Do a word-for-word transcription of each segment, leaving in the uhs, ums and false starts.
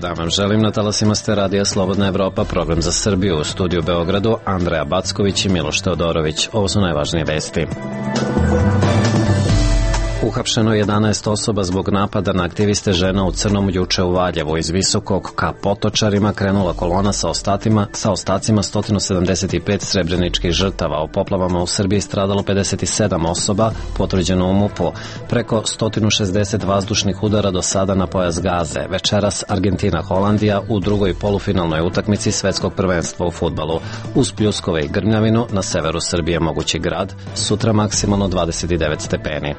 dan vam želim. Na talasima ste Radija Slobodna Evropa, program za Srbiju. U studiju u Beogradu Andreja Backović i Miloš Teodorović. Ovo su najvažnije vesti. Uhapšeno jedanaest osoba zbog napada na aktiviste žena u crnom juče u Valjevu. Iz Visokog ka Potočarima krenula kolona sa ostatima, sa ostacima sto sedamdeset pet srebreničkih žrtava. U poplavama u Srbiji stradalo pedeset sedam osoba, potvrđeno u MUP-u. Preko sto šezdeset vazdušnih udara do sada na pojas Gaze. Večeras Argentina-Holandija u drugoj polufinalnoj utakmici svetskog prvenstva u fudbalu. Uz pljuskove i grmljavinu na severu Srbije mogući grad. Sutra maksimalno dvadeset devet stepeni.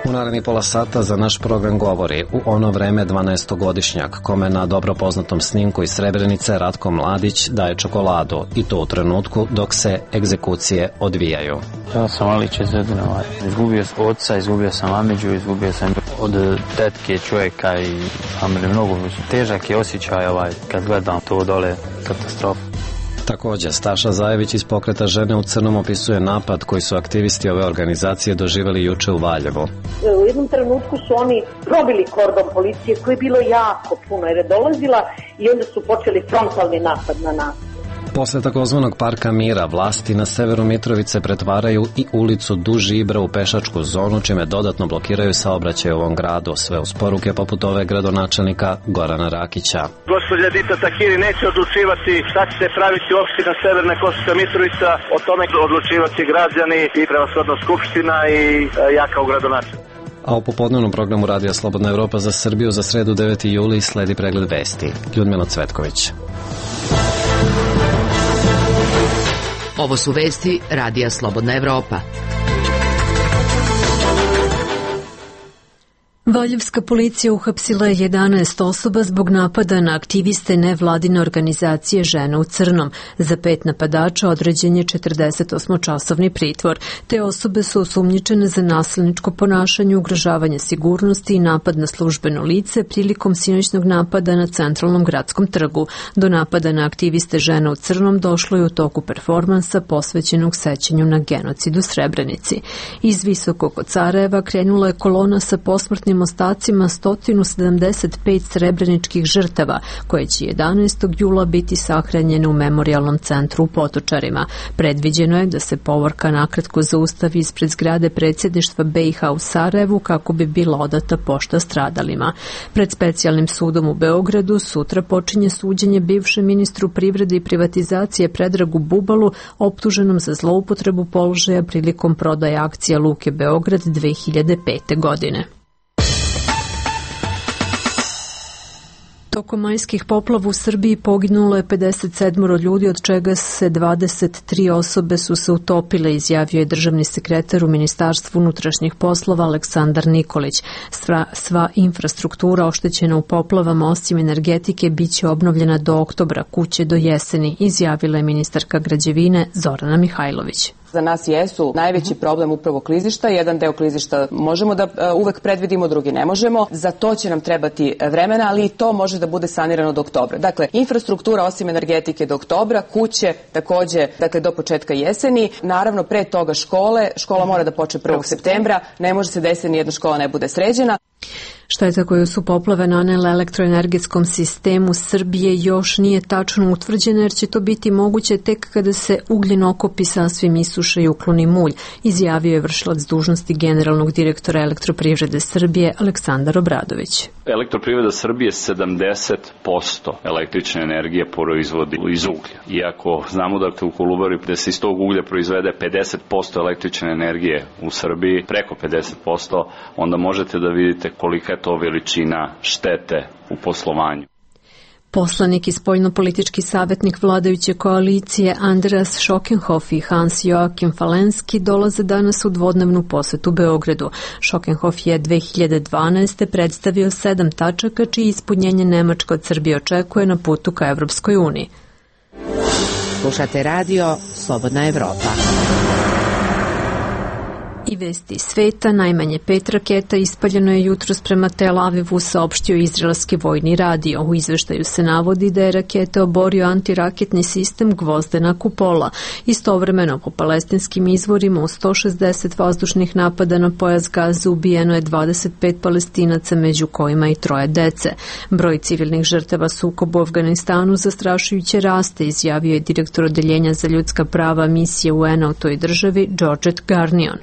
U narednih pola sata za naš program govori u ono vreme dvanaestogodišnjak kome na dobro poznatom snimku iz Srebrenice Ratko Mladić daje čokoladu i to u trenutku dok se egzekucije odvijaju. Ja sam Alić iz Zedina. Izgubio sam oca, izgubio sam Amidžu, izgubio sam od tetke čovjeka i Amidžu. Mnogo težak je osjećaj ovaj, kad gledam to dole, katastrofu. Također, Staša Zajević iz Pokreta žene u crnom opisuje napad koji su aktivisti ove organizacije doživjeli juče u Valjevu. U jednom trenutku su oni probili kordon policije koji je bilo jako puno jer je dolazila i onda su počeli frontalni napad na nas. Posle takozvanog Parka Mira, vlasti na severu Mitrovice pretvaraju i ulicu Duž Ibra u pešačku zonu, čime dodatno blokiraju saobraćaj u ovom gradu. Sve uz poruke poput ove gradonačelnika Gorana Rakića. Gospođa Dita Tahiri neće odlučivati šta će se praviti u opština Severne Kosovska Mitrovica, o tome odlučivati građani i prevashodno Skupština i ja kao gradonačelnik. A u popodnevnom programu Radija Slobodna Evropa za Srbiju za sredu deveti juli sledi pregled vesti. Ljudmila Cvetković. Ovo su vesti Radija Slobodna Evropa. Valjevska policija uhapsila je jedanaest osoba zbog napada na aktiviste nevladine organizacije Žena u crnom. Za pet napadača određen je četrdesetosmočasovni pritvor. Te osobe su osumnjičene za nasilničko ponašanje, ugrožavanje sigurnosti i napad na službeno lice prilikom sinoćnog napada na centralnom gradskom trgu. Do napada na aktiviste Žena u crnom došlo je u toku performansa posvećenog sećanju na genocid u Srebrenici. Iz Visokog kod Sarajeva krenula je kolona sa posmrtnim ostacima sto sedamdeset pet srebreničkih žrtava, koje će jedanaestog jula biti sahranjene u memorijalnom centru u Potočarima. Predviđeno je da se povorka nakratko zaustavi ispred zgrade predsjedništva B i H u Sarajevu kako bi bila odata pošta stradalima. Pred specijalnim sudom u Beogradu sutra počinje suđenje bivšem ministru privrede i privatizacije Predragu Bubalu, optuženom za zloupotrebu položaja prilikom prodaje akcija Luke Beograd dve hiljade pete. godine. Tokom majskih poplava u Srbiji poginulo je pedeset sedam ljudi, od čega se dvadeset tri osobe su se utopile, izjavio je državni sekretar u Ministarstvu unutrašnjih poslova Aleksandar Nikolić. Sva, sva infrastruktura oštećena u poplavama, osim energetike, bit će obnovljena do oktobra, kuće do jeseni, izjavila je ministarka građevine Zorana Mihajlović. Za nas jesu najveći problem upravo klizišta. Jedan deo klizišta možemo da uvek predvidimo, drugi ne možemo. Za to će nam trebati vremena, ali i to može da bude sanirano do oktobra. Dakle, infrastruktura osim energetike do oktobra, kuće takođe, dakle, do početka jeseni. Naravno, pre toga škole. Škola mora da počne prvog septembra. Ne može se desiti ni jedna škola ne bude sređena. Šteta koju su poplave nanele elektroenergetskom sistemu Srbije još nije tačno utvrđena, jer će to biti moguće tek kada se ugljen okopi sasvim isuše i ukloni mulj, izjavio je vršilac dužnosti generalnog direktora Elektroprivrede Srbije Aleksandar Obradović. Elektroprivreda Srbije sedamdeset posto električne energije proizvodi iz uglja. Iako znamo da u Kolubari da se iz tog uglja proizvede pedeset posto električne energije u Srbiji, preko pedeset posto, onda možete da vidite kolika je to veličina štete u poslovanju. Poslanik i spoljnopolitički savjetnik vladajuće koalicije Andreas Schockenhoff i Hans-Joachim Falenski dolaze danas u dvodnevnu posetu Beogradu. Schockenhoff je dve hiljade dvanaeste. predstavio sedam tačaka čiji ispunjenje Nemačka od Srbije očekuje na putu ka Evropskoj uniji. Slušate radio Slobodna Evropa. I vesti sveta, najmanje pet raketa ispaljeno je jutros prema Tel Avivu, saopštio izraelski vojni radio. U izveštaju se navodi da je raketa oborio antiraketni sistem Gvozdena kupola. Istovremeno, po palestinskim izvorima, u sto šezdeset vazdušnih napada na pojas Gaze ubijeno je dvadeset pet Palestinaca, među kojima i troje dece. Broj civilnih žrtava sukoba u Afganistanu zastrašujuće raste, izjavio je direktor odeljenja za ljudska prava misije U N-a u toj državi, Georgette Garnion.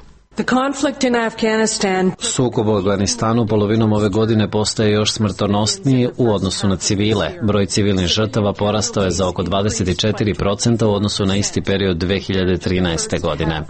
Sukob u Afganistanu polovinom ove godine postaje još smrtonosniji u odnosu na civile. Broj civilnih žrtava porastao je za oko dvadeset četiri posto u odnosu na isti period dve hiljade trinaeste. godine.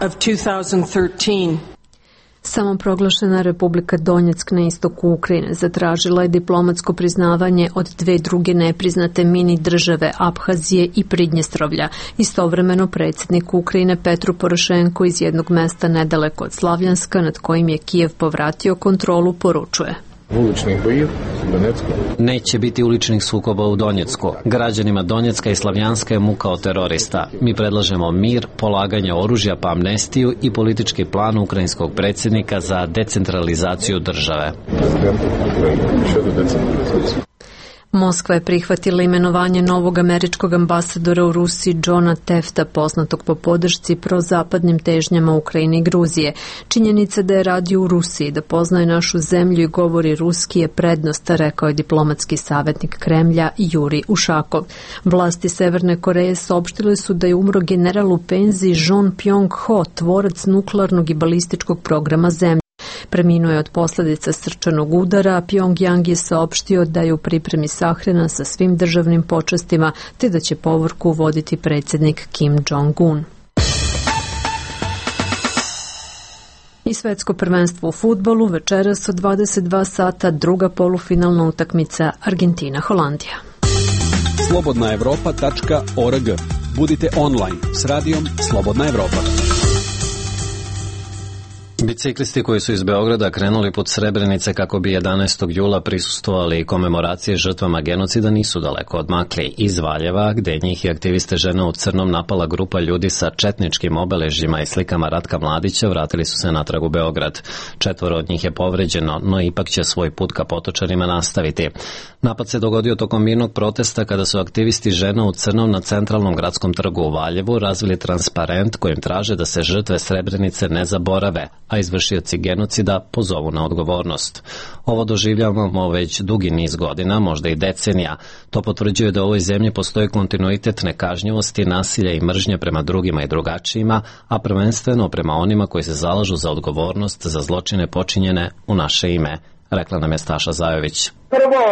Samoproglašena Republika Donjeck na istoku Ukrajine zatražila je diplomatsko priznavanje od dve druge nepriznate mini države Abhazije i Pridnjestrovlja. Istovremeno predsjednik Ukrajine Petro Porošenko iz jednog mesta nedaleko od Slavljanska, nad kojim je Kijev povratio kontrolu, poručuje: Uličnih bojiv u Donjecku. Neće biti uličnih sukoba u Donjecku. Građanima Donjecka i Slavljanska je muka od terorista. Mi predlažemo mir, polaganje oružja pa amnestiju i politički plan ukrajinskog predsjednika za decentralizaciju države. Moskva je prihvatila imenovanje novog američkog ambasadora u Rusiji Johna Tefta, poznatog po podršci prozapadnim težnjama Ukrajine i Gruzije. Činjenica da je radio u Rusiji, da poznaje našu zemlju i govori ruski je prednost, rekao je diplomatski savjetnik Kremlja Juri Ušakov. Vlasti Severne Koreje saopštile su da je umro general u penziji John Pyong-ho, tvorac nuklearnog i balističkog programa zemlje. Preminuo je od posljedica srčanog udara, a Pyongyang je saopštio da je u pripremi sahrana sa svim državnim počastima, te da će povorku voditi predsjednik Kim Jong-un. I svetsko prvenstvo u fudbalu večeras od dvadeset dva sata, druga polufinalna utakmica Argentina-Holandija. slobodna evropa tačka org. Budite online s radijom Slobodna Evropa. Biciklisti koji su iz Beograda krenuli put Srebrenice kako bi jedanaestog jula prisustvovali komemoracije žrtvama genocida nisu daleko odmakli. Iz Valjeva, gde njih i aktiviste Žena u crnom napala grupa ljudi sa četničkim obeležjima i slikama Ratka Mladića, vratili su se natrag u Beograd. Četvoro od njih je povređeno, no ipak će svoj put ka Potočarima nastaviti. Napad se dogodio tokom mirnog protesta kada su aktivisti Žena u crnom na centralnom gradskom trgu u Valjevu razvili transparent kojim traže da se žrtve Srebrenice ne zaborave, a izvršioci genocida pozovu na odgovornost. Ovo doživljavamo već dugi niz godina, možda i decenija. To potvrđuje da u ovoj zemlji postoji kontinuitet nekažnjivosti, nasilja i mržnje prema drugima i drugačijima, a prvenstveno prema onima koji se zalažu za odgovornost za zločine počinjene u naše ime, rekla nam je Staša Zajović. Prvo,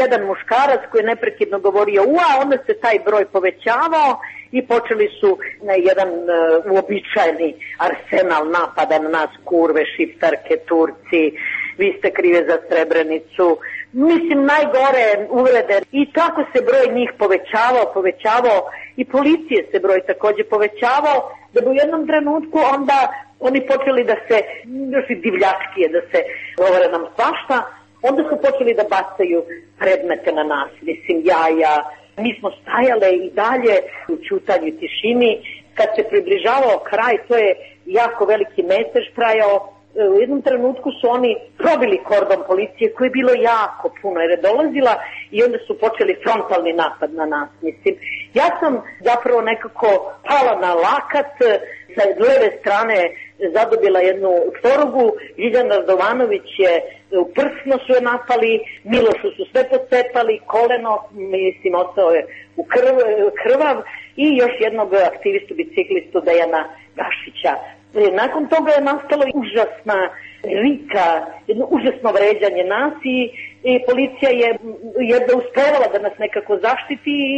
jedan muškarac koji je neprekidno govorio ua, onda se taj broj povećavao i počeli su na jedan uh, uobičajeni arsenal napada na nas, kurve, šiptarke, Turci, vi ste krive za Srebrenicu. Mislim, najgore uvrede. I tako se broj njih povećavao, povećavao i policije se broj također povećavao, da bi u jednom trenutku onda oni počeli da se, još i divljačkije, da se govore nam svašta, onda su počeli da bacaju predmete na nas, mislim, jaja. Mi smo stajale i dalje u ćutanju i tišini. Kad se približavao kraj, to je jako veliki mesež trajao. U jednom trenutku su oni probili kordon policije koji je bilo jako puno jer je dolazila i onda su počeli frontalni napad na nas. Mislim, ja sam zapravo nekako pala na lakat, sa leve strane zadobila jednu tvorugu, Žiljan Radovanović je u prsno su je napali, Milošu su sve pocepali, koleno, mislim, ostao je u krv, krvav i još jednog aktivistu, biciklistu Dejana Gašića. Nakon toga je nastalo užasna rika, jedno užasno vređanje nas i, i policija je jedno uspevala da nas nekako zaštiti i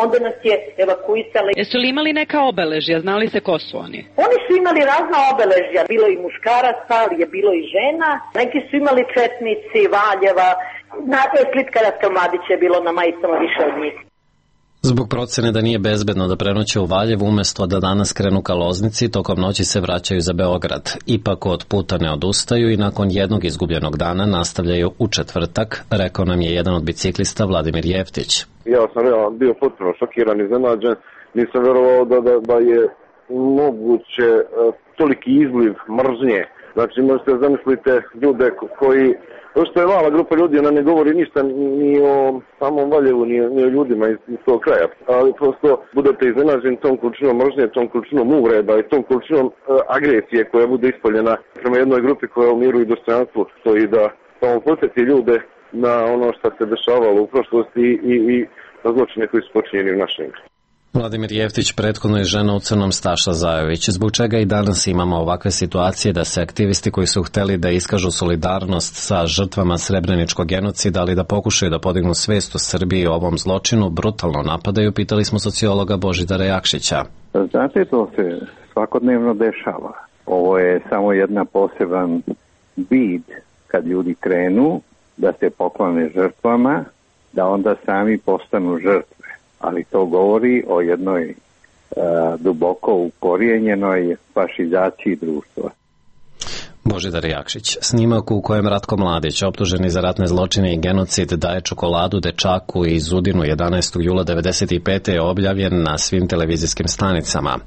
onda nas je evakuisala. Jesu li imali neka obeležja? Znali se ko su oni? Oni su imali razna obeležja. Bilo i muškaraca, ali je bilo i žena. Neki su imali četnici, Valjeva. Na slitka Ratka Mladića je bilo na majicama više od njih. Zbog procene da nije bezbedno da prenoće u Valjevu, umjesto da danas krenu ka Loznici, tokom noći se vraćaju za Beograd. Ipak od puta ne odustaju i nakon jednog izgubljenog dana nastavljaju u četvrtak, rekao nam je jedan od biciklista Vladimir Jeftić. Ja sam ja bio potpuno šokiran, iznenađen. Nisam vjerovao da, da, da je moguće toliki izliv mržnje. Znači možete zamislite ljude koji, to što je mala grupa ljudi, ona ne govori ništa ni o samom Valjevu, ni, ni o ljudima iz, iz tog kraja. Ali prosto budete iznenađeni tom količinom mržnje, tom količinom uvreda i tom količinom uh, agresije koja bude ispoljena prema jednoj grupi koja u miru i dostojanstvu stoji da samo podsjeti ljude na ono što se dešavalo u prošlosti i, i na zločine koji su počinjeni u našem. Vladimir Jeftić prethodno je žena u crnom Staša Zajović, zbog čega i danas imamo ovakve situacije da se aktivisti koji su hteli da iskažu solidarnost sa žrtvama srebreničkog genocida, ali da pokušaju da podignu svest u Srbiji o ovom zločinu, brutalno napadaju, pitali smo sociologa Božidara Jakšića. Znate, to se svakodnevno dešava. Ovo je samo jedna poseban vid kad ljudi krenu da se poklone žrtvama, da onda sami postanu žrtve. Ali to govori o jednoj uh, duboko ukorijenjenoj fašizaciji društva. Božidar Jakšić. Snimak u kojem Ratko Mladić, optuženi za ratne zločine i genocid, daje čokoladu dečaku iz Udinu jedanaestog jula devedeset pete je objavljen na svim televizijskim stanicama.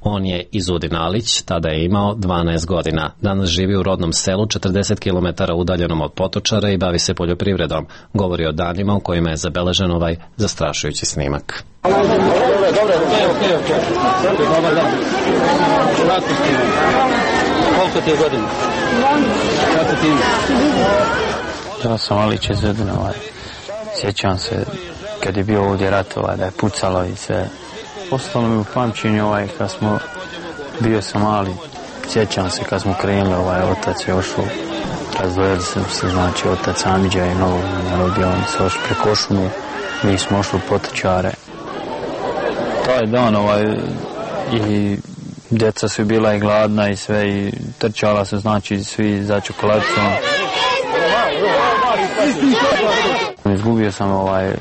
On je iz Udinalić, tada je imao dvanaest godina. Danas živi u rodnom selu četrdeset kilometara udaljenom od Potočara i bavi se poljoprivredom. Govori o danima u kojima je zabeležen ovaj zastrašujući snimak. Dobre, dobre, okej, okej, okej. Dobar dan. Ratko snimak. Koliko ti je godina? Kako ti ime? Ja sam Alić iz Udina, ovaj. Sjećam se kad je bio ovdje rat, ovaj, da je pucalo i sve. Ostalo mi u pamćenju, ovaj, kad smo, bio sam mali, sjećam se kad smo krenuli, ovaj, otac je ošao, razdvojili se, se znači, otac Amidža i novo narodio, oni se ošli preko šumu, mi smo ošli u Potočare. Taj dan, ovaj, i djeca su bila i gladna i sve i trčala su, znači, svi za čokoladicom. Izgubio sam ovaj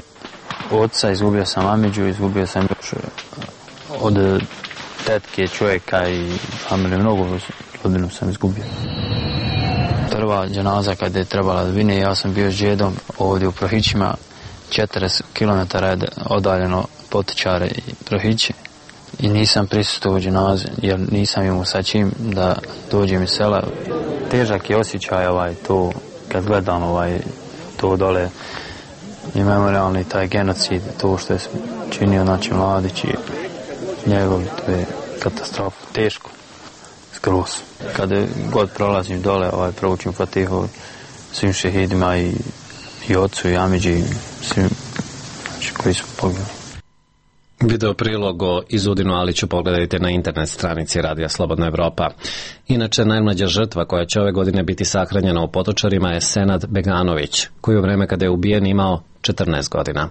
oca, izgubio sam Amidžu, izgubio sam od tetke čovjeka i familije, mnogo rodinu sam izgubio. Prva dženaza kada je trebala da vine, ja sam bio s džedom ovdje u Prohićima, četrdeset kilometara je odaljeno Potočare i Prohiće. I nisam prisustvovao dženaze, jer nisam imao sa čim da dođem iz sela. Težak je osjećaj ovaj, to, kad gledam ovaj, to dole i memorialni taj genocid, to što je činio znači Mladić i njegov, to je katastrofa, teško, skroz. Kada god prolazim dole, ovaj, proučim Fatihu svim šehidima i, i ocu i Amidži i svim znači, koji su poginuli. Video prilog o Izudinu Aliću pogledajte na internet stranici Radija Slobodna Evropa. Inače, najmlađa žrtva koja će ove godine biti sahranjena u Potočarima je Senad Beganović, koji u vreme kada je ubijen imao četrnaest godina.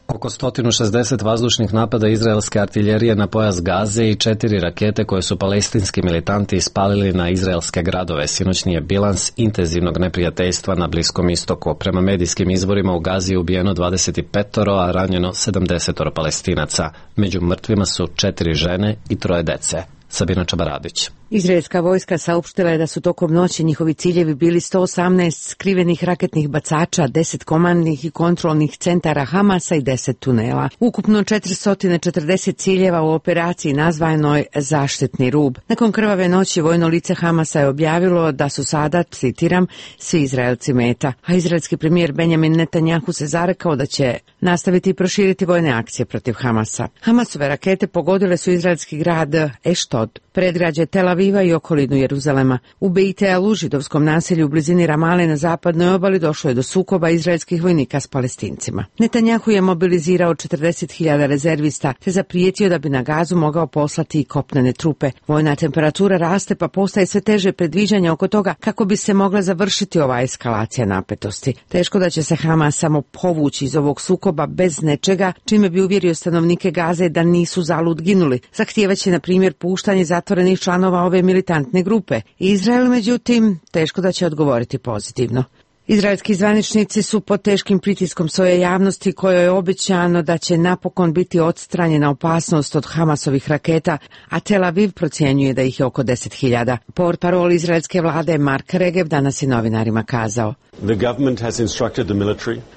Oko sto šezdeset vazdušnih napada izraelske artiljerije na pojas Gaze i četiri rakete koje su palestinski militanti ispalili na izraelske gradove. Sinoćni je bilans intenzivnog neprijateljstva na Bliskom istoku. Prema medijskim izvorima u Gazi je ubijeno dvadeset pet, a ranjeno sedamdeset Palestinaca. Među mrtvima su četiri žene i troje dece. Sabina Čabaradić. Izraelska vojska saopštila je da su tokom noći njihovi ciljevi bili sto osamnaest skrivenih raketnih bacača, deset komandnih i kontrolnih centara Hamasa i deset tunela. Ukupno četiristo četrdeset ciljeva u operaciji nazvanoj Zaštitni rub. Nakon krvave noći vojno lice Hamasa je objavilo da su sada, citiram, svi Izraelci meta. A izraelski premijer Benjamin Netanjahu se zarekao da će nastaviti i proširiti vojne akcije protiv Hamasa. Hamasove rakete pogodile su izraelski grad Eštod, predgrađe Tel Aviva i okolinu Jeruzalema. U Beit El, židovskom naselju u blizini Ramale na zapadnoj obali, došlo je do sukoba izraelskih vojnika s Palestincima. Netanjahu je mobilizirao četrdeset hiljada rezervista te zaprijetio da bi na Gazu mogao poslati i kopnene trupe. Vojna temperatura raste pa postaje sve teže predviđanja oko toga kako bi se mogla završiti ova eskalacija napetosti. Teško da će se Hamas samo povući iz ovog sukoba bez nečega čime bi uvjerio stanovnike Gaze da nisu zalud ginuli. Zahtijevaće na primjer puštanje zatvorenih članova ove militantne grupe. Izrael, međutim, teško da će odgovoriti pozitivno. Izraelski zvaničnici su pod teškim pritiskom svoje javnosti kojoj je obećano da će napokon biti odstranjena opasnost od Hamasovih raketa, a Tel Aviv procjenjuje da ih je oko deset hiljada. Portparol izraelske vlade Mark Regev danas je novinarima kazao: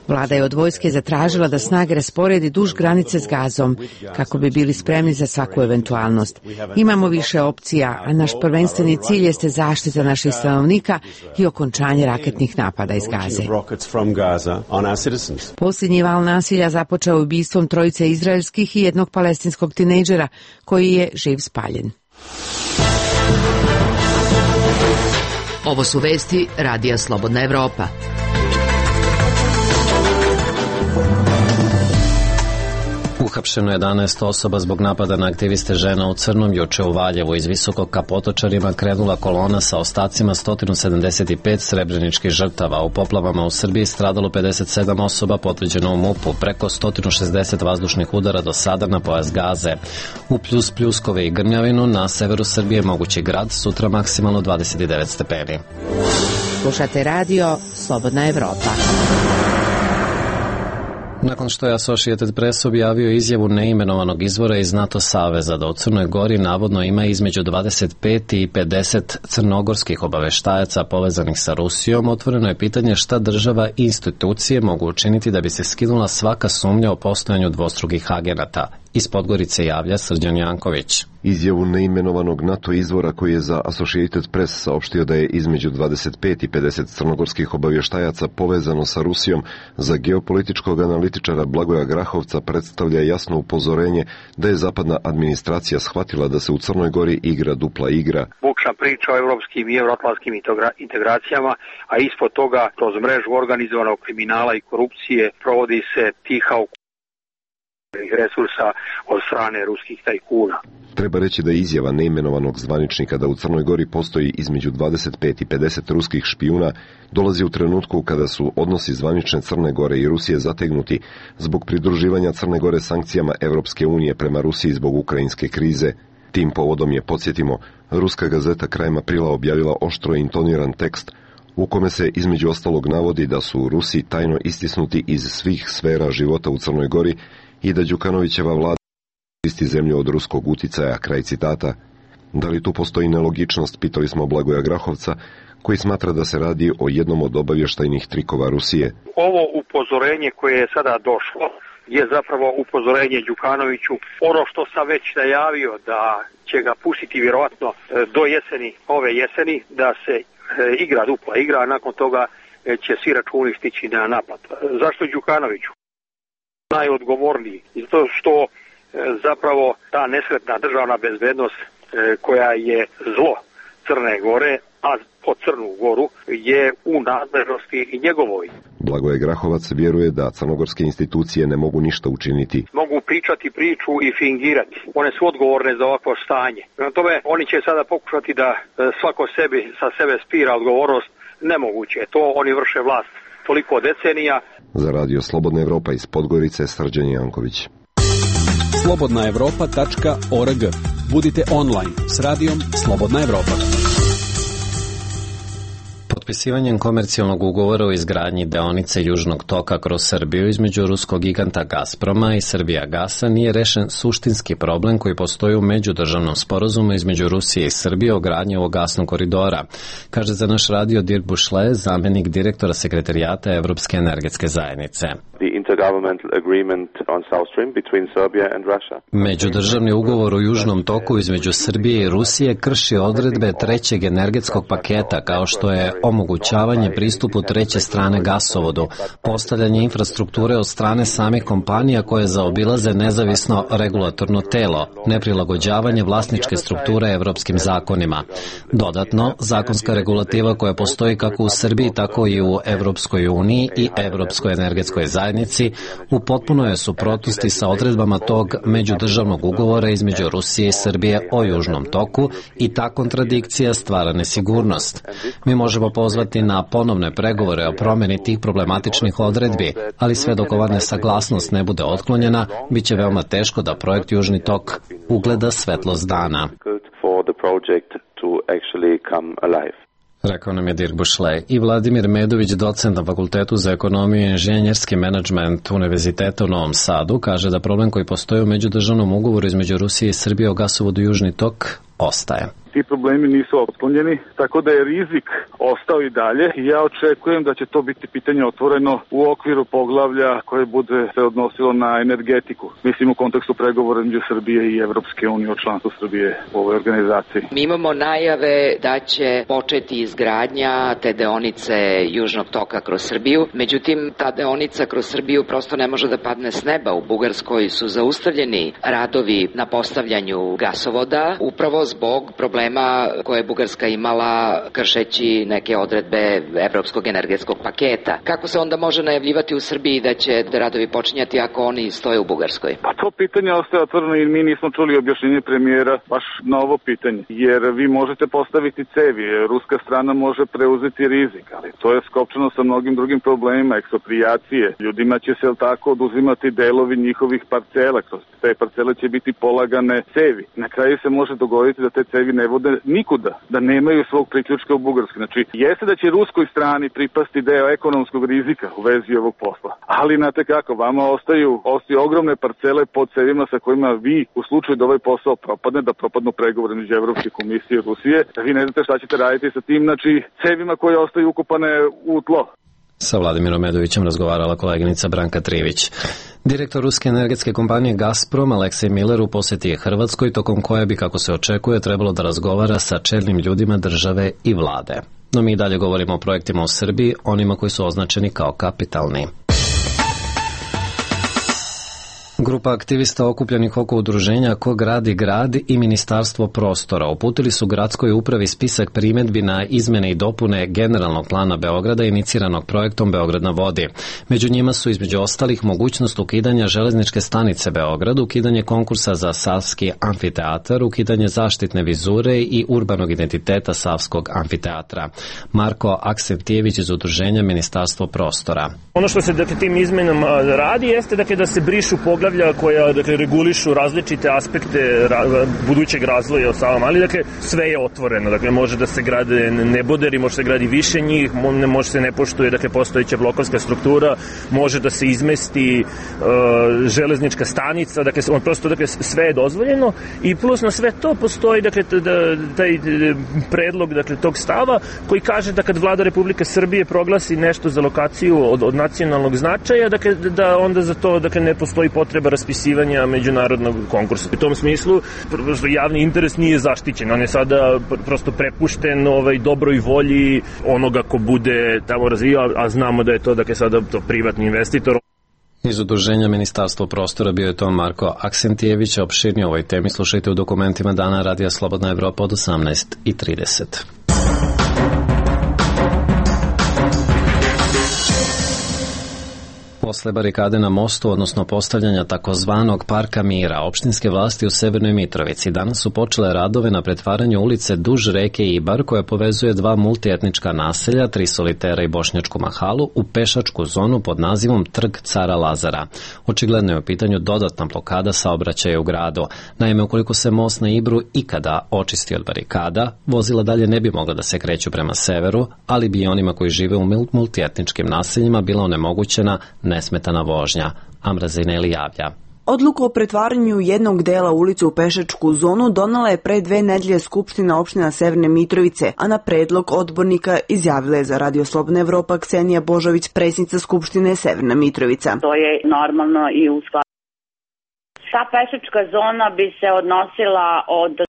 Vlada je od vojske zatražila da snage rasporedi duž granice s Gazom, kako bi bili spremni za svaku eventualnost. Imamo više opcija, a naš prvenstveni cilj jeste zaštita naših stanovnika i okončanje raketnih napada iz Gaze. Posljednji val nasilja započeo ubistvom trojice izraelskih i jednog palestinskog tinejdžera, koji je živ spaljen. Ovo su vesti Radija Slobodna Evropa. Uhapšeno jedanaest osoba zbog napada na aktiviste žena u crnom. Juče u Valjevu iz Visokog ka Potočarima krenula kolona sa ostacima sto sedamdeset pet srebreničkih žrtava. U poplavama u Srbiji stradalo pedeset sedam osoba, potvrđeno u MUP-u, preko sto šezdeset vazdušnih udara do sada na pojas Gaze. U Pljus, Pljuskove i Grmljavinu na severu Srbije mogući grad, sutra maksimalno dvadeset devet stepeni. Slušate radio Slobodna Evropa. Nakon što je Associated Press objavio izjavu neimenovanog izvora iz NATO saveza da u Crnoj Gori navodno ima između dvadeset pet i pedeset crnogorskih obaveštajaca povezanih sa Rusijom, otvoreno je pitanje šta država i institucije mogu učiniti da bi se skinula svaka sumnja o postojanju dvostrukih agenata. Iz Podgorice javlja Srđan Janković. Izjavu neimenovanog NATO izvora koji je za Associated Press saopštio da je između dvadeset pet i pedeset crnogorskih obavještajaca povezano sa Rusijom za geopolitičkog analitičara Blagoja Grahovca predstavlja jasno upozorenje da je zapadna administracija shvatila da se u Crnoj Gori igra dupla igra. Bukša priča o evropskim i euroatlantskim integracijama, a ispod toga kroz mrežu organizovanog kriminala i korupcije provodi se tiha resursa od strane ruskih tajkuna. Treba reći da je izjava neimenovanog zvaničnika da u Crnoj Gori postoji između dvadeset pet i pedeset ruskih špijuna dolazi u trenutku kada su odnosi zvanične Crne Gore i Rusije zategnuti zbog pridruživanja Crne Gore sankcijama Evropske unije prema Rusiji zbog ukrajinske krize. Tim povodom je, podsjetimo, ruska gazeta krajem aprila objavila oštro intoniran tekst u kome se između ostalog navodi da su Rusi tajno istisnuti iz svih sfera života u Crnoj Gori i da Đukanovićeva vlada isti zemlju od ruskog uticaja, kraj citata. Da li tu postoji nelogičnost, pitali smo Blagoja Grahovca, koji smatra da se radi o jednom od obavještajnih trikova Rusije. Ovo upozorenje koje je sada došlo je zapravo upozorenje Đukanoviću. Ono što sam već najavio da će ga pustiti vjerovatno do jeseni, ove jeseni, da se igra dupla igra, a nakon toga će svi računi stići na napad. Zašto Đukanoviću? Najodgovorniji, zato što e, zapravo ta nesretna državna bezbednost e, koja je zlo Crne Gore, a po Crnu Goru je u nadležnosti i njegovoj. Blagoje Grahovac vjeruje da crnogorske institucije ne mogu ništa učiniti. Mogu pričati priču i fingirati. One su odgovorne za ovakvo stanje. Prema tome, oni će sada pokušati da e, svako sebi sa sebe spira odgovornost. Nemoguće. To oni vrše vlast toliko decenija. Za radio Slobodna Evropa iz Podgorice, Srđan Janković. slobodna evropa tačka org. Budite online s radijom Slobodna Evropa. Potpisivanjem komercijalnog ugovora o izgradnji deonice Južnog toka kroz Srbiju između ruskog giganta Gazproma i Srbijagasa nije rešen suštinski problem koji postoji u međudržavnom sporazumu između Rusije i Srbije o gradnji ovog gasnog koridora, kaže za naš radio Dirk Bušle, zamjenik direktora sekretarijata Evropske energetske zajednice. Međudržavni ugovor o Južnom toku između Srbije i Rusije krši odredbe trećeg energetskog paketa, kao što je omogućavanje pristupu treće strane gasovodu, postavljanje infrastrukture od strane samih kompanija koje zaobilaze nezavisno regulatorno telo, neprilagođavanje vlasničke strukture evropskim zakonima. Dodatno, zakonska regulativa koja postoji kako u Srbiji, tako i u Evropskoj uniji i Evropskoj energetskoj zajednici u potpunoj je suprotnosti sa odredbama tog međudržavnog ugovora između Rusije i Srbije o Južnom toku i ta kontradikcija stvara nesigurnost. Mi možemo pozvati na ponovne pregovore o promjeni tih problematičnih odredbi, ali sve dok ova nesaglasnost ne bude otklonjena, bit će veoma teško da projekt Južni tok ugleda svetlost dana. Rekao nam je Dirk Bušle. I Vladimir Medović, docent na Fakultetu za ekonomiju i inženjerski menadžment Univerziteta u Novom Sadu, kaže da problem koji postoji u međudržavnom ugovoru između Rusije i Srbije o gasovodu Južni tok ostaje. Ti problemi nisu otklonjeni, tako da je rizik ostao i dalje i ja očekujem da će to biti pitanje otvoreno u okviru poglavlja koje bude se odnosilo na energetiku. Mislim u kontekstu pregovora između Srbije i Evropske unije o članstvu Srbije u ovoj organizaciji. Mi imamo najave da će početi izgradnja te deonice Južnog toka kroz Srbiju, međutim ta deonica kroz Srbiju prosto ne može da padne s neba. U Bugarskoj su zaustavljeni radovi na postavljanju gasovoda upravo zbog problema koje je Bugarska imala kršeći neke odredbe evropskog energetskog paketa. Kako se onda može najavljivati u Srbiji da će radovi počinjati ako oni stoje u Bugarskoj? Pa to pitanje ostaje otvoreno i mi nismo čuli objašnjenje premijera baš na ovo pitanje. Jer vi možete postaviti cevi, ruska strana može preuzeti rizik, ali to je skopčano sa mnogim drugim problemima, eksproprijacije. Ljudima će se tako oduzimati delovi njihovih parcela, kroz te parcele će biti polagane cevi. Na kraju se može dogoditi da te cevi ne vode nikuda, da nemaju svog priključka u Bugarskoj. Znači, jeste da će ruskoj strani pripasti deo ekonomskog rizika u vezi ovog posla. Ali, znate kako, vama ostaju, ostaju ogromne parcele pod cevima sa kojima vi, u slučaju da ovaj posao propadne, da propadnu pregovore među Evropske komisije i Rusije, da vi ne znate šta ćete raditi sa tim, znači, cevima koje ostaju ukopane u tlo. Sa Vladimirom Medovićem razgovarala koleginica Branka Trivić. Direktor ruske energetske kompanije Gazprom Aleksej Miller u poseti je Hrvatskoj, tokom koje bi, kako se očekuje, trebalo da razgovara sa čelnim ljudima države i vlade. No mi dalje govorimo o projektima u Srbiji, onima koji su označeni kao kapitalni. Grupa aktivista okupljenih oko udruženja Ko gradi grad i Ministarstvo prostora uputili su gradskoj upravi spisak primedbi na izmene i dopune generalnog plana Beograda iniciranog projektom Beograd na vodi. Među njima su između ostalih mogućnost ukidanja železničke stanice Beograd, ukidanje konkursa za Savski amfiteatar, ukidanje zaštitne vizure i urbanog identiteta Savskog amfiteatra. Marko Aksentijević iz udruženja Ministarstvo prostora. Ono što se dakle, tim izmenama radi jeste dakle, da se brišu poglavlja koja dakle, regulišu različite aspekte ra, budućeg razvoja u Savom, ali dakle, sve je otvoreno. Dakle, može da se grade neboderi, može se gradi više njih, može se ne poštuje dakle, postojeća blokovska struktura, može da se izmesti uh, železnička stanica, dakle, on prosto dakle, sve je dozvoljeno i plus na sve to postoji dakle, da, taj predlog dakle, tog stava koji kaže da kad vlada Republike Srbije proglasi nešto za lokaciju od, od nacionalnog značaja, dakle, da onda za to dakle, ne postoji potreba raspisivanja međunarodnog konkursa. U tom smislu javni interes nije zaštićen, on je sada prosto prepušten ovaj, dobroj volji onoga ko bude tamo razvijao, a znamo da je to dakle, sada to privatni investitor. Iz udruženja Ministarstvo prostora bio je to Marko Aksentijević. Opširnije o ovoj temi slušajte u dokumentima Dana Radija Slobodna Evropa od osamnaest i trideset. Posle barikade na mostu, odnosno postavljanja takozvanog Parka mira, opštinske vlasti u Severnoj Mitrovici danas su počele radove na pretvaranju ulice duž reke Ibar, koja povezuje dva multietnička naselja, Tri solitera i Bošnjačku mahalu, u pešačku zonu pod nazivom Trg Cara Lazara. Očigledno je u pitanju dodatna blokada saobraćaja u gradu. Naime, ukoliko se most na Ibru ikada očisti od barikada, vozila dalje ne bi mogla da se kreću prema severu, ali bi i onima koji žive u multietničkim naseljima bila onemogućena nesmetana vožnja. Amra Zineli javlja. Odluku o pretvaranju jednog dela ulice u pešačku zonu donala je pre dve nedelje Skupština opština Severne Mitrovice, a na predlog odbornika izjavila je za Radio Slobodna Evropa Ksenija Božović, predsjednica Skupštine Severna Mitrovica. To je normalno i u skladu. Ta pešačka zona bi se odnosila od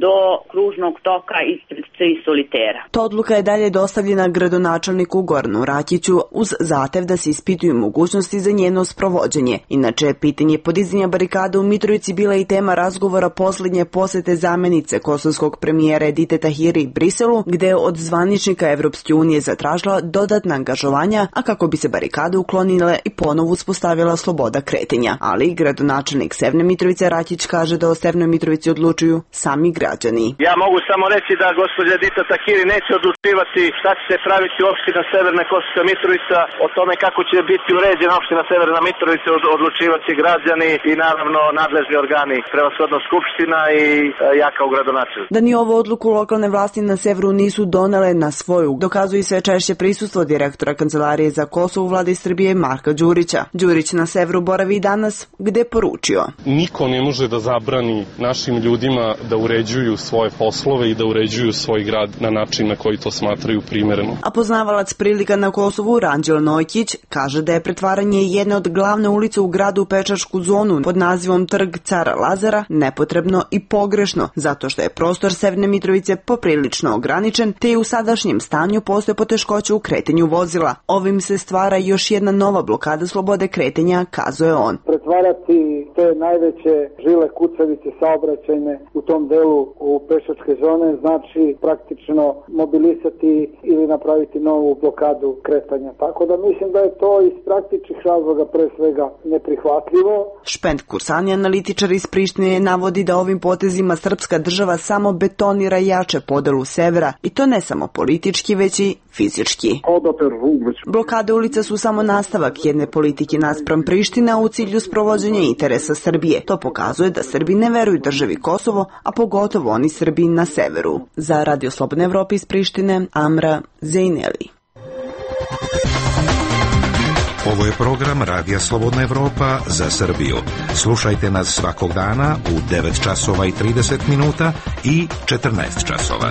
do kružnog toka ispred Tri solitera. Ta odluka je dalje dostavljena gradonačelniku Goranu Rakiću uz zahtev da se ispituju mogućnosti za njeno sprovođenje. Inače, pitanje podizanja barikada u Mitrovici bila i tema razgovora poslednje posete zamenice kosovskog premijera Edite Tahiri Briselu, gde je od zvaničnika Evropske unije zatražila dodatna angažovanja, a kako bi se barikade uklonile i ponovo uspostavila sloboda kretenja. Ali gradonačelnik Severne Mitrovice Rakić kaže da o Severnoj Mitrovici odlučuju sami sami građani. Ja mogu samo reći da gospođa Edita Tahiri neće odlučivati šta će se praviti opština Severna Kosovska Mitrovica, o tome kako će biti uređena opština Severna Mitrovica odlučivati građani i naravno nadležni organi, prevashodno Skupština i ja kao gradonačelnik. Da ni ovu odluku lokalne vlasti na severu nisu donele na svoju, dokazuje sve češće prisustvo direktora Kancelarije za Kosovo u vladi Srbije Marka Đurića. Đurić na severu boravi i danas, gde poručio: niko ne može da zabrani našim ljudima da uređuju svoje poslove i da uređuju svoj grad na način na koji to smatraju primereno. A poznavalac prilika na Kosovu Ranđel Nojkić kaže da je pretvaranje jedne od glavne ulice u gradu u pešačku zonu pod nazivom Trg Cara Lazara nepotrebno i pogrešno, zato što je prostor Severne Mitrovice poprilično ograničen, te i u sadašnjem stanju postoje poteškoće u kretanju vozila. Ovim se stvara još jedna nova blokada slobode kretanja, kazuje on. Pretvarati te najveće žile kucavice saobraćajne u tom delu u pešačke zone znači praktično mobilisati ili napraviti novu blokadu kretanja. Tako da mislim da je to iz praktičnih razloga pre svega neprihvatljivo. Špend Kursani, analitičar iz Prištine, navodi da ovim potezima srpska država samo betonira jače podelu severa, i to ne samo politički, već i fizički. Blokade ulica su samo nastavak jedne politike naspram Priština u cilju sprovođenja interesa Srbije. To pokazuje da Srbi ne veruju državi Kosovo, a pogotovo oni Srbi na severu. Za Radio Slobodne Evrope iz Prištine, Amra Zejneli. Ovo je program Radija Slobodna Evropa za Srbiju. Slušajte nas svakog dana u devet časova i trideset minuta i četrnaest časova.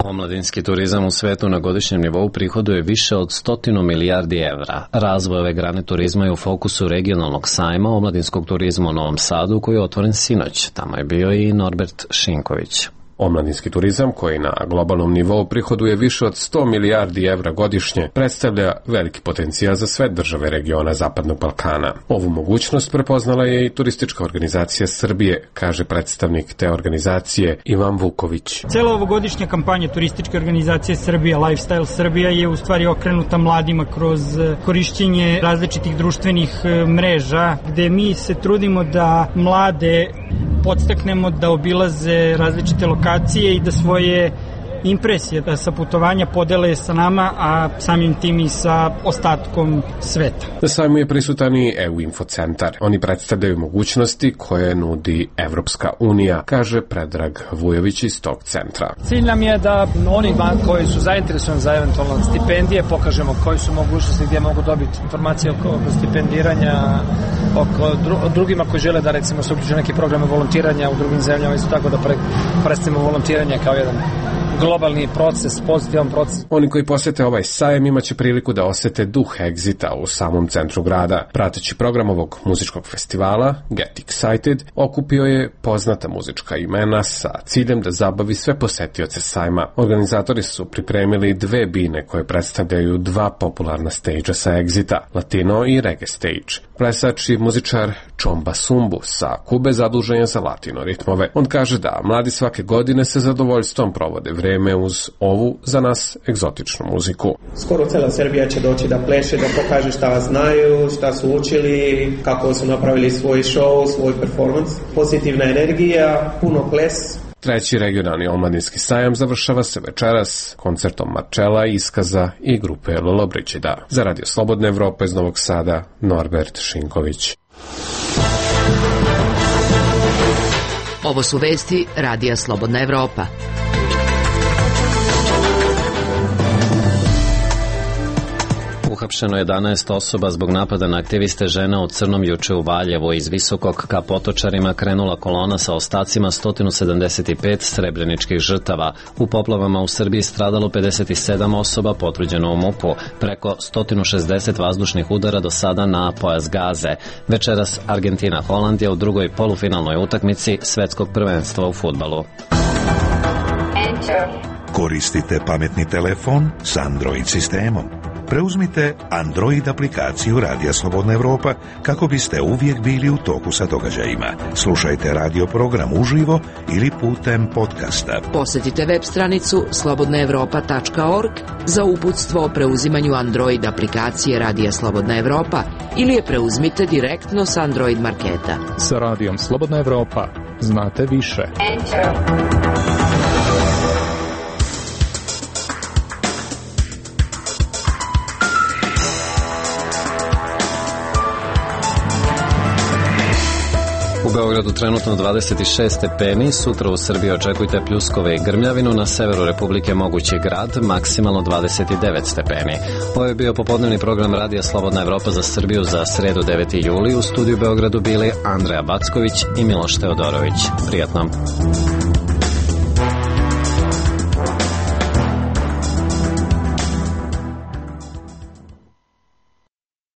Omladinski turizam u svetu na godišnjem nivou prihoduje više od stotinu milijardi evra. Razvoj ove grane turizma je u fokusu regionalnog sajma omladinskog turizma u Novom Sadu, koji je otvoren sinoć. Tamo je bio i Norbert Šinković. Omladinski turizam, koji na globalnom nivou prihoduje više od sto milijardi evra godišnje, predstavlja veliki potencijal za sve države regiona Zapadnog Balkana. Ovu mogućnost prepoznala je i Turistička organizacija Srbije, kaže predstavnik te organizacije Ivan Vuković. Cela ovogodišnja kampanja Turističke organizacije Srbije, Lifestyle Srbija, je u stvari okrenuta mladima kroz korišćenje različitih društvenih mreža, gde mi se trudimo da mlade podstaknemo da obilaze različite lokacije i da svoje impresije sa putovanja podele sa nama, a samim tim i sa ostatkom sveta. Na sajmu je prisutan i E U Infocentar. Oni predstavljaju mogućnosti koje nudi Evropska unija, kaže Predrag Vujović iz tog centra. Cilj nam je da oni koji su zainteresovani za eventualno stipendije pokažemo koji su mogućnosti, gdje mogu dobiti informacije oko stipendiranja, oko drugima koji žele da recimo se uključuju neki programe volontiranja u drugim zemljama, isto tako da predstavimo volontiranje kao jedan globalni proces, pozitivan proces. Oni koji posete ovaj sajem imaće priliku da osete duh Exita u samom centru grada. Prateći program ovog muzičkog festivala, Get Excited, okupio je poznata muzička imena sa ciljem da zabavi sve posetioce sajma. Organizatori su pripremili dve bine koje predstavljaju dva popularna stage-a sa Exita, Latino i Reggae stage. Plesač i muzičar Čomba Sumbu sa Kube zadužen je za latino ritmove. On kaže da mladi svake godine sa zadovoljstvom provode vreme uz ovu, za nas, egzotičnu muziku. Skoro cela Srbija će doći da pleše, da pokaže šta znaju, šta su učili, kako su napravili svoj show, svoj performans. Pozitivna energija, puno ples. Treći regionalni omladinski sajam završava se večeras koncertom Marčela, Iskaza i grupe Lolobričida. Za Radio Slobodne Evrope iz Novog Sada, Norbert Šinković. Ovo su vesti Radija Slobodna Evropa. Uhapšeno jedanaest osoba zbog napada na aktiviste žena u crnom juče u Valjevu. Iz Visokog ka Potočarima krenula kolona sa ostacima sto sedamdeset pet srebreničkih žrtava. U poplavama u Srbiji stradalo pedeset sedam osoba, potvrđeno u MUP-u. Preko sto šezdeset vazdušnih udara do sada na pojas Gaze. Večeras Argentina-Holandija u drugoj polufinalnoj utakmici svetskog prvenstva u fudbalu. Koristite pametni telefon s Android sistemom. Preuzmite Android aplikaciju Radija Slobodna Evropa kako biste uvijek bili u toku sa događajima. Slušajte radio program uživo ili putem podcasta. Posjetite web stranicu slobodna evropa tačka org za uputstvo o preuzimanju Android aplikacije Radija Slobodna Evropa ili je preuzmite direktno sa Android marketa. Sa Radijom Slobodna Evropa znate više. Enter. U Beogradu trenutno dvadeset šest stepeni, sutra u Srbiji očekujte pljuskove i grmljavinu, na severu Republike mogući grad, maksimalno dvadeset devet stepeni. Ovo je bio popodnevni program Radija Slobodna Evropa za Srbiju za sredu deveti juli. U studiju Beogradu bili Andreja Backović i Miloš Teodorović. Prijatno.